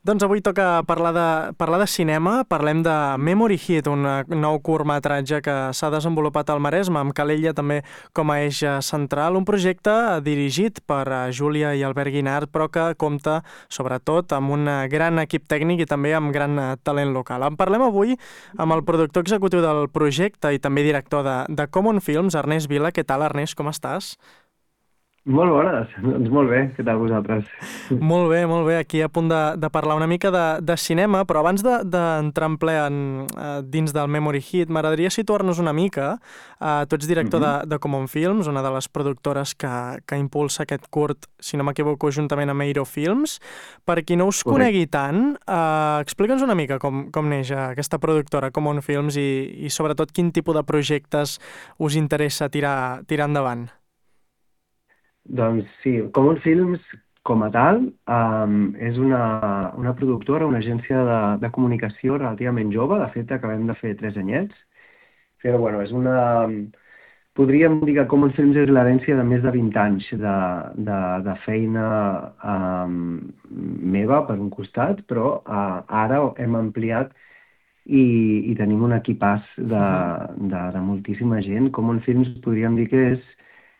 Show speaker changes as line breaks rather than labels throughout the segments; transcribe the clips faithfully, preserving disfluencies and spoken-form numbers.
Doncs avui toca parlar de, parlar de cinema. Parlem de Memory Hit, un nou curtmetratge que s'ha desenvolupat al Maresme, amb Calella també com a eix central. Un projecte dirigit per Júlia i Albert Guinart, però que compta sobretot amb un gran equip tècnic i també amb gran talent local. En parlem avui amb el productor executiu del projecte i també director de, de Common Films, Ernest Vila. Què tal, Ernest? Com estàs?
Molt bones, doncs molt bé, què tal vosaltres?
Molt bé, molt bé, aquí a punt de, de parlar una mica de, de cinema, però abans d'entrar de, en ple en, uh, dins del Memory Hit, m'agradaria situar-nos una mica. Uh, tu ets director uh-huh. de, de Common Films, una de les productores que, que impulsa aquest curt, si no m'equivoco, juntament amb Eiro Films. Per qui no us Correcte. Conegui tant, uh, explica'ns una mica com, com neix aquesta productora Common Films i, i sobretot quin tipus de projectes us interessa tirar, tirar endavant.
Doncs sí, Common Films, com a tal, um, és una, una productora, una agència de, de comunicació relativament jove. De fet, acabem de fer tres anyets. Però, bueno, és una... Podríem dir que Common Films és l'herència de més de vint anys de, de, de feina um, meva, per un costat, però uh, ara hem ampliat i, i tenim un equipàs de, de, de moltíssima gent. Common Films podríem dir que és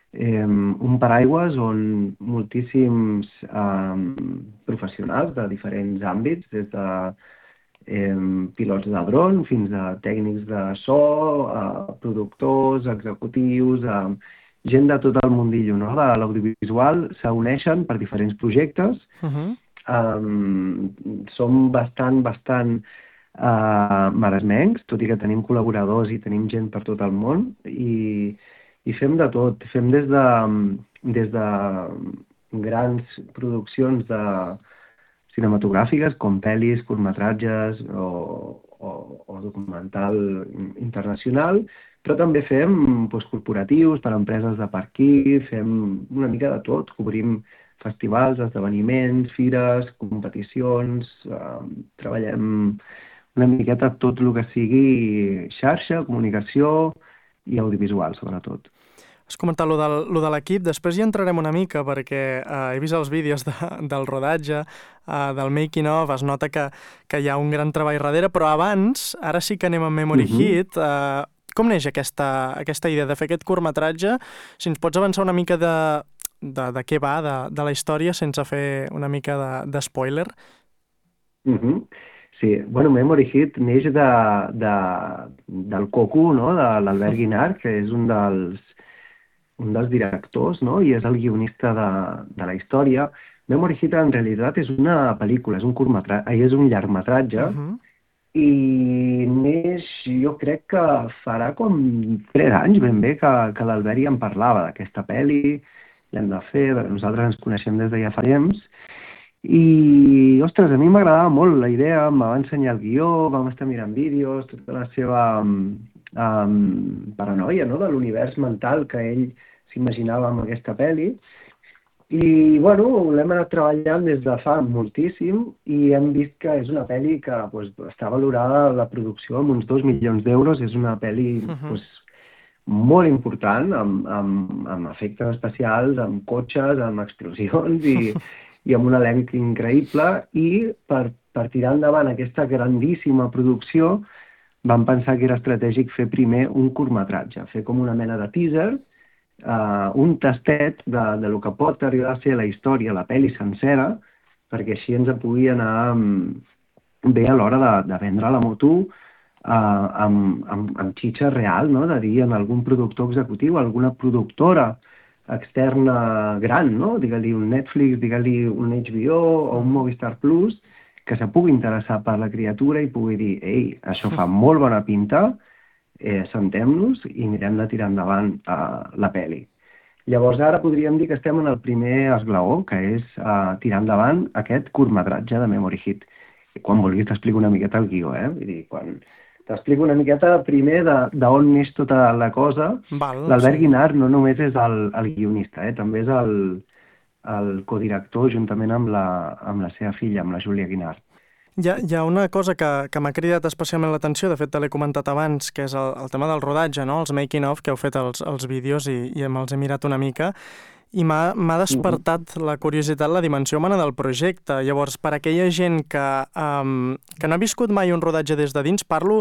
Eh, un paraigües on moltíssims eh, professionals de diferents àmbits, des de eh, pilots de dron fins a tècnics de so, eh, productors, executius, eh, gent de tot el mundillo, no? De l'audiovisual, s'uneixen per diferents projectes. Uh-huh. eh, som bastant, bastant eh, maresmencs, tot i que tenim col·laboradors i tenim gent per tot el món, i I fem de tot, fem des de, des de grans produccions de cinematogràfiques, com pel·lis, curtmetratges o, o, o documental internacional, però també fem doncs, corporatius per a empreses de per aquí, fem una mica de tot, cobrim festivals, esdeveniments, fires, competicions, eh, treballem una miqueta tot el que sigui xarxa, comunicació i audiovisual, sobretot.
Has comentat lo, del, lo de l'equip, després hi entrarem una mica perquè eh, he vist els vídeos de, del rodatge, eh, del making of, es nota que, que hi ha un gran treball darrere, però abans, ara sí que anem a Memory uh-huh. Hit, eh, com neix aquesta, aquesta idea de fer aquest curtmetratge? Si ens pots avançar una mica de, de, de què va, de, de la història, sense fer una mica de, de spoiler.
Uh-huh. Sí, bueno, Memory Hit neix de, de, del Coco, no?, de l'Albert Guinart, que és un dels, un dels directors, no?, i és el guionista de, de la història. Memory Hit en realitat és una pel·lícula, és un curtmetratge, és un llargmetratge, uh-huh. i neix, jo crec que farà com tres anys ben bé que, que l'Albert ja en parlava d'aquesta pel·li, l'hem de fer, nosaltres ens coneixem des de ja fa temps. I, ostres, a mi m'agradava molt la idea, em va ensenyar el guió, vam estar mirant vídeos, tota la seva um, paranoia, no?, de l'univers mental que ell s'imaginava amb aquesta pel·li. I, bueno, l'hem anat treballant des de fa moltíssim i hem vist que és una pel·li que pues, està valorada la producció amb uns dos milions d'euros. És una pel·li uh-huh. pues, molt important, amb, amb, amb efectes especials, amb cotxes, amb explosions i... i amb un elenc increïble, i per, per tirar endavant aquesta grandíssima producció vam pensar que era estratègic fer primer un curtmetratge, fer com una mena de teaser, uh, un tastet de, de lo que pot arribar a ser la història, la pel·li sencera, perquè així ens pugui anar um, bé a l'hora de, de vendre la moto uh, amb, amb, amb xitxa real, no?, de dir en algun productor executiu, alguna productora externa gran, no? Digue-li un Netflix, digue-li un H B O o un Movistar Plus, que se pugui interessar per la criatura i pugui dir, ei, això fa molt bona pinta, eh, sentem-nos i mirem de tirar endavant uh, la pel·li. Llavors ara podríem dir que estem en el primer esglaó, que és uh, tirar endavant aquest curtmetratge de Memory Hit. I quan vulguis t'explico una miqueta el guió, eh? Vull dir, quan... T'explico una miqueta primer d'on neix tota la cosa. L'Albert sí. Guinart no només és el, el guionista, eh? També és el, el codirector juntament amb la, amb la seva filla, amb la Júlia Guinart.
Hi ha, hi ha una cosa que, que m'ha cridat especialment l'atenció, de fet te l'he comentat abans, que és el, el tema del rodatge, no? Els making of, que heu fet els, els vídeos i, i me'ls he mirat una mica. I m'ha m'ha despertat la curiositat, la dimensió humana del projecte. Llavors, per aquella gent que, um, que no ha viscut mai un rodatge des de dins, parlo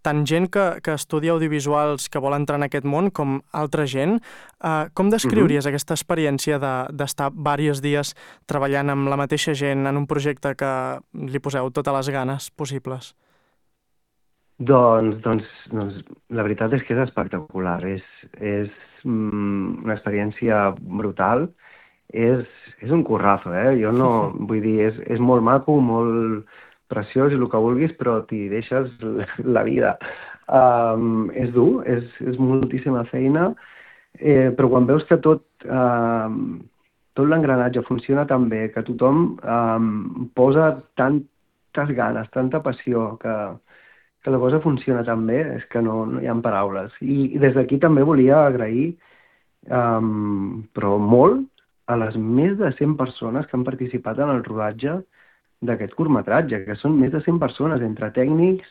tant gent que, que estudia audiovisuals, que vol entrar en aquest món, com altra gent. Uh, com descriuries uh -huh. aquesta experiència d'estar de, diversos dies treballant amb la mateixa gent en un projecte que li poseu totes les ganes possibles?
Doncs, doncs, doncs la veritat és que és espectacular. És, és mm, una experiència brutal. És, és un currazo, eh? Jo no... Vull dir, és, és molt maco, molt preciós i el que vulguis, però t'hi deixes la vida. Um, és dur, és, és moltíssima feina, eh, però quan veus que tot, um, tot l'engranatge funciona tan bé, que tothom um, posa tantes ganes, tanta passió, que que la cosa funciona tan bé, és que no, no hi ha paraules. I, i des d'aquí també volia agrair, um, però molt, a les més de cent persones que han participat en el rodatge d'aquest curtmetratge, que són més de cent persones, entre tècnics,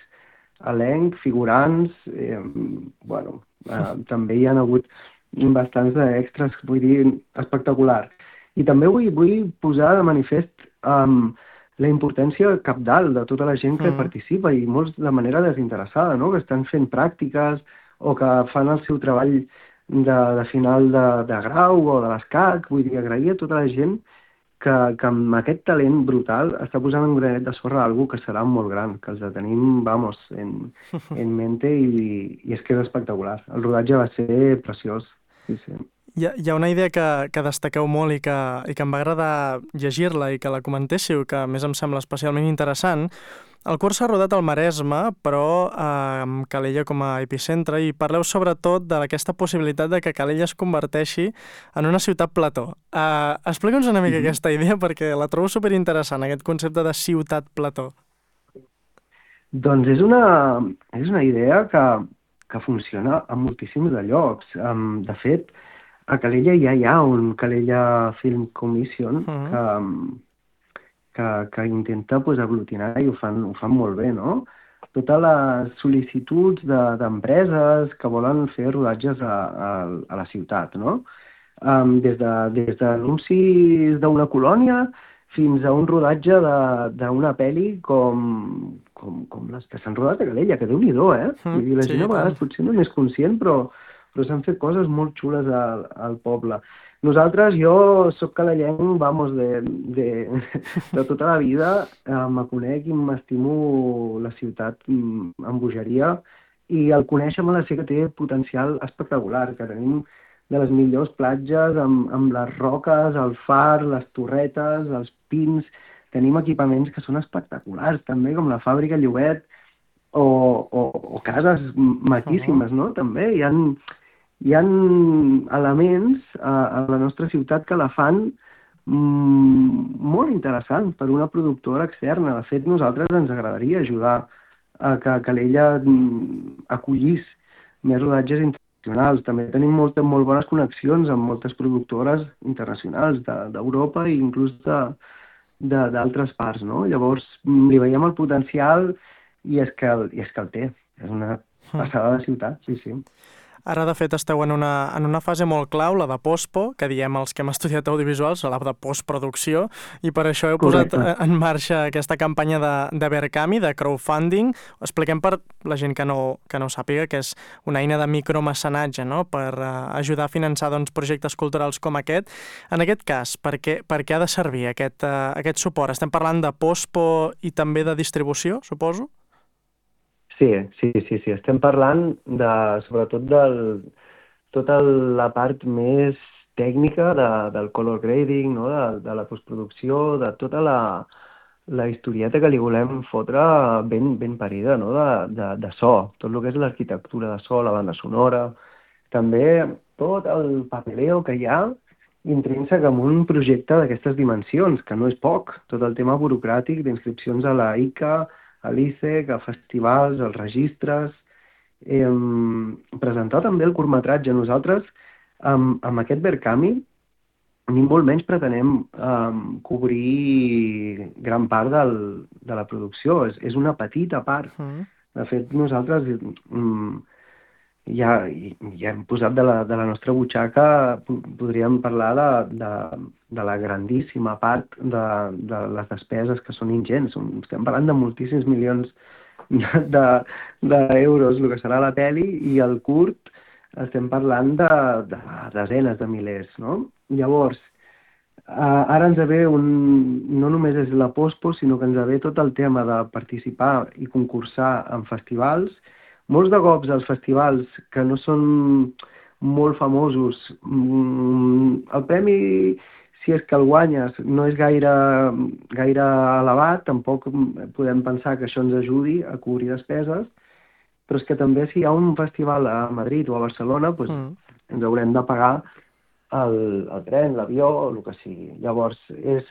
elenc, figurants, eh, bueno, eh, també hi ha hagut bastants d'extras, vull dir, espectacular. I també vull, vull posar de manifest um, la importància cabdal de tota la gent que mm. participa i molts de manera desinteressada, no? Que estan fent pràctiques o que fan el seu treball de, de final de, de grau o de l'escac. Vull dir, agrair a tota la gent que, que amb aquest talent brutal està posant un granet de sorra a algú que serà molt gran, que els tenim, vamos, en, en mente i, i és que és espectacular. El rodatge va ser preciós. Sí, sí.
Hi ha, hi ha una idea que, que destaqueu molt i que, i que em va agradar llegir-la i que la comentéssiu, que a més em sembla especialment interessant. El curs s'ha rodat al Maresme, però eh, amb Calella com a epicentre, i parleu sobretot d'aquesta possibilitat de que Calella es converteixi en una ciutat plató. Eh, Explica'ns una mica mm-hmm. aquesta idea, perquè la trobo superinteressant, aquest concepte de ciutat plató.
Doncs és una, és una idea que, que funciona a moltíssims de llocs. Um, de fet, a Calella ja hi ha un Calella Film Commission uh-huh. que, que, que intenta pues, aglutinar i ho fan, ho fan molt bé, no? Totes les sol·licituds d'empreses de, que volen fer rodatges a, a, a la ciutat, no? Um, des de, des d'anuncis d'una colònia fins a un rodatge d'una pel·li com, com, com les que s'han rodat a Calella, que déu-n'hi-do, eh? Mm, Vull dir, la sí, gent a vegades potser no n'és conscient, però però s'han fet coses molt xules al, al poble. Nosaltres, jo sóc calellenc, vamos, de, de, de tota la vida, eh, me conec i m'estimo la ciutat amb bogeria, i el conèixer me la sé que té potencial espectacular, que tenim de les millors platges amb, amb les roques, el far, les torretes, els pins, tenim equipaments que són espectaculars, també, com la fàbrica Llobet, o, o, o cases maquíssimes, uh-huh. no? També hi ha... Hi ha elements a, a la nostra ciutat que la fan mm, molt interessant per una productora externa. De fet, nosaltres ens agradaria ajudar a que Calella mm, acollís més rodatges internacionals. També tenim moltes, molt bones connexions amb moltes productores internacionals d'Europa i inclús d'altres parts, no? Llavors, li veiem el potencial i és que el, i és que el té. És una passada de ciutat, sí, sí.
Ara, de fet, esteu en una, en una fase molt clau, la de postpo, que diem els que hem estudiat audiovisuals, la de postproducció, i per això heu Correcte. posat en marxa aquesta campanya de, de Verkami, de crowdfunding. Expliquem per la gent que no, que no sàpiga que és una eina de micromecenatge, no?, per uh, ajudar a finançar doncs, projectes culturals com aquest. En aquest cas, per què, per què ha de servir aquest, uh, aquest suport? Estem parlant de postpo i també de distribució, suposo?
Sí, sí, sí, sí. Estem parlant de, sobretot de tota la part més tècnica de, del color grading, no? de, de la postproducció, de tota la, la historieta que li volem fotre ben, ben parida, no? de, de, de so, tot el que és l'arquitectura de so, la banda sonora, també tot el papeleo que hi ha intrínsec en un projecte d'aquestes dimensions, que no és poc, tot el tema burocràtic d'inscripcions a la I C A, a l'I C E C, a festivals, als registres, eh, presentar també el curtmetratge. Nosaltres, amb, amb aquest Verkami, ni molt menys pretenem eh, cobrir gran part del, de la producció. És, és una petita part. Mm. De fet, nosaltres mm, ja, ja hem posat de la, de la nostra butxaca, podríem parlar de, de, de la grandíssima part de, de les despeses que són ingents. Estem parlant de moltíssims milions d'euros, de, de el que serà la pel·li, i el curt estem parlant de, de desenes de milers, no? Llavors, Uh, ara ens ve un... no només és la pospo, sinó que ens ve tot el tema de participar i concursar en festivals. Molts de cops els festivals que no són molt famosos, mm, el premi, si és que el guanyes, no és gaire, gaire elevat, tampoc podem pensar que això ens ajudi a cobrir despeses, però és que també si hi ha un festival a Madrid o a Barcelona, doncs mm. ens haurem de pagar el, el tren, l'avió, o el que sigui. Llavors, és,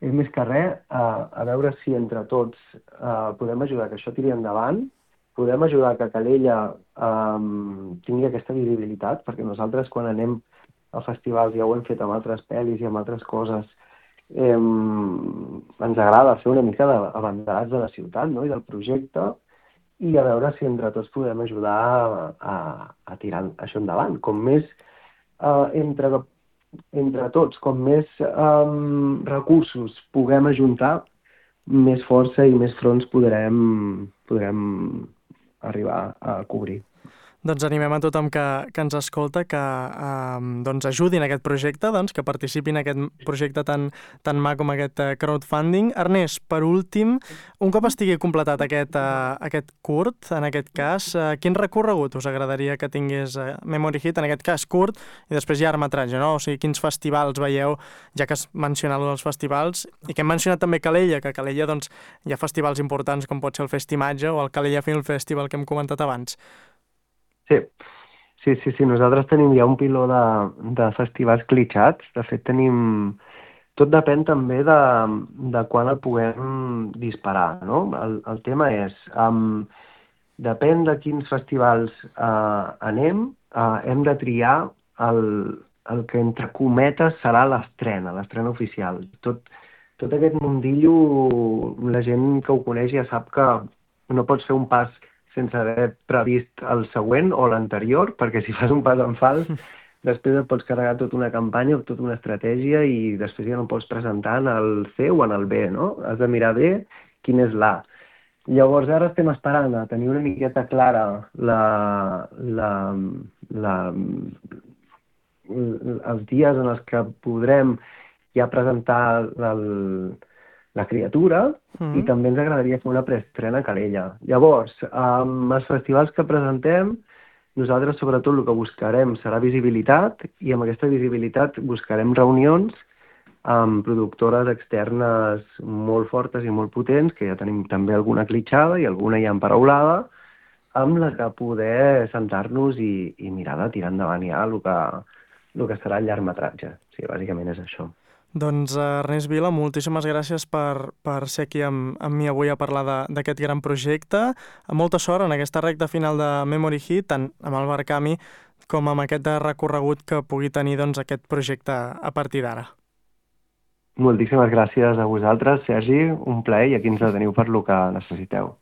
és més que res a, a veure si entre tots uh, podem ajudar que això tiri endavant, podem ajudar que Calella um, tingui aquesta visibilitat, perquè nosaltres quan anem a festivals, ja ho hem fet amb altres pel·lis i amb altres coses, eh, ens agrada fer una mica d'abanderats de la ciutat, no?, i del projecte, i a veure si entre tots podem ajudar a, a, a tirar això endavant. Com més Uh, entre, entre tots, com més um, recursos puguem ajuntar, més força i més fronts podrem, podrem arribar a cobrir.
Doncs animem a tothom que, que ens escolta que eh, doncs ajudin aquest projecte, doncs, que participin en aquest projecte tan, tan maco com aquest crowdfunding. Ernest, per últim, un cop estigui completat aquest, eh, aquest curt, en aquest cas, eh, quin recorregut us agradaria que tingués eh, Memory Hit, en aquest cas curt, i després llargmetratge, no? O sigui, quins festivals veieu, ja que has mencionat els festivals, i que hem mencionat també Calella, que a Calella doncs, hi ha festivals importants com pot ser el Festimatge o el Calella Film Festival que hem comentat abans.
Sí, sí, sí, sí. Nosaltres tenim ja un piló de, de festivals clitxats. De fet, tenim... Tot depèn també de, de quan el puguem disparar, no? El, el tema és, um, depèn de quins festivals uh, anem, uh, hem de triar el, el que, entre cometes, serà l'estrena, l'estrena oficial. Tot, tot aquest mundillo, la gent que ho coneix ja sap que no pots fer un pas sense haver previst el següent o l'anterior, perquè si fas un pas en fals, després et pots carregar tota una campanya o tota una estratègia i després ja no pots presentar en el C o en el B, no? Has de mirar bé quin és l'A. Llavors ara estem esperant a tenir una miqueta clara la, la, la, els dies en els que podrem ja presentar el, la criatura, mm. i també ens agradaria fer una preestrena a Calella. Llavors, amb els festivals que presentem, nosaltres sobretot el que buscarem serà visibilitat, i amb aquesta visibilitat buscarem reunions amb productores externes molt fortes i molt potents, que ja tenim també alguna clitxada i alguna ja emparaulada, amb la que poder sentar-nos i, i mirar de tirar endavant ja el que, el que serà el llargmetratge. Sí, bàsicament és això.
Doncs Ernest Vila, moltíssimes gràcies per, per ser aquí amb, amb mi avui a parlar d'aquest gran projecte. Molta sort en aquesta recta final de Memory Hit, tant amb el Barcami com amb aquest recorregut que pugui tenir doncs, aquest projecte a partir d'ara.
Moltíssimes gràcies a vosaltres, Sergi, un plaer, i aquí ens teniu per lo que necessiteu.